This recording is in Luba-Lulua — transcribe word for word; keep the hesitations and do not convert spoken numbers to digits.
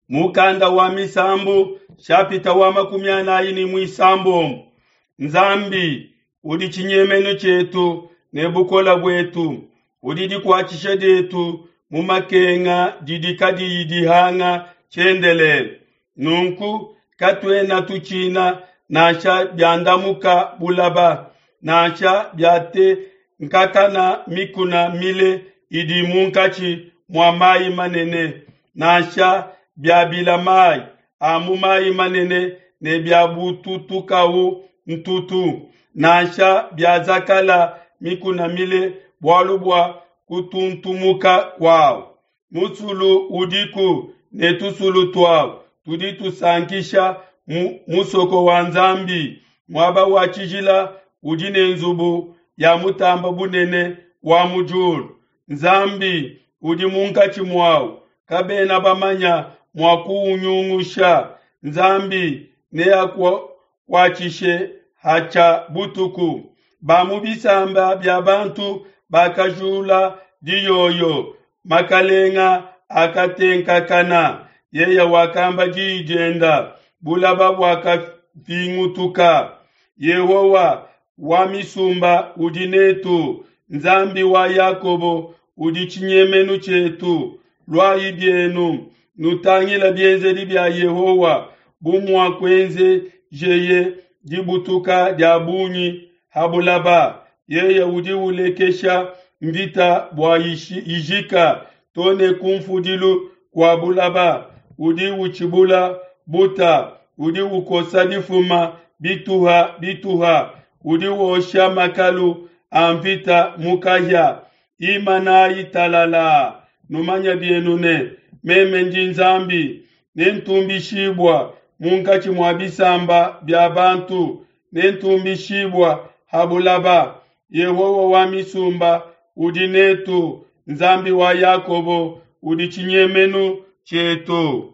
Mukanda wa Misambu shapita wa makumi anayi ne muisambombo Nzambi udi tshinyemenu tshietu ne bukola buetu, udi dikuatshisha dietu mu makenga didi kadiyi dihanga tshiendelele. Nunku katuena tutshina nansha biandamuka bulaba, nansha biatenkakana mikuna mile idi munkatshi mua mayi manene, nansha biabila mayi a mu mayi manene ne biabututukawu ntutu, nansha biazakala mikuna mile bualu bua kutuntumuka kuawu. Musulu udiku ne tusulu tuawu tudi tusankisha mu musoko wa Nzambi, muaba wa tshijila udi ne nzubu ya mutamba bunene wa mu diulu. Nzambi udi munkatshi muawu, kabena bamanya mua kuunyungusha. Nzambi neakuatshishe hatshia butuku. Ba mu bisamba bia bantu bakajula diyoyo, makalenga akatenkakana. Yeye wakamba diyi dienda, bulaba buakavingutuka. Yehowa wa misumba udi netu, Nzambi wa Yakobo udi tshinyemenu tshietu. Luayi bienu, nutangila bienzedi bia Yehowa, bu muakuenzejeye dibutuka dia bungi ha bulaba. Yeye udi ulekesha mvita bua ijika to ne kunfudilu kua bulaba. Udi utshibula buta, udi ukosa difuma bituha bituha, udi wosha makalu a mvita mu kahia. Imanayi talala, numanye bienu ne, meme ndi Nzambi, nentumbishibua munkatshi mua bisamba bia bantu, nentumbishibua ha bulaba. Yehowa wa misumba udi netu, Nzambi wa Yakobo udi tshinyemenu tshietu.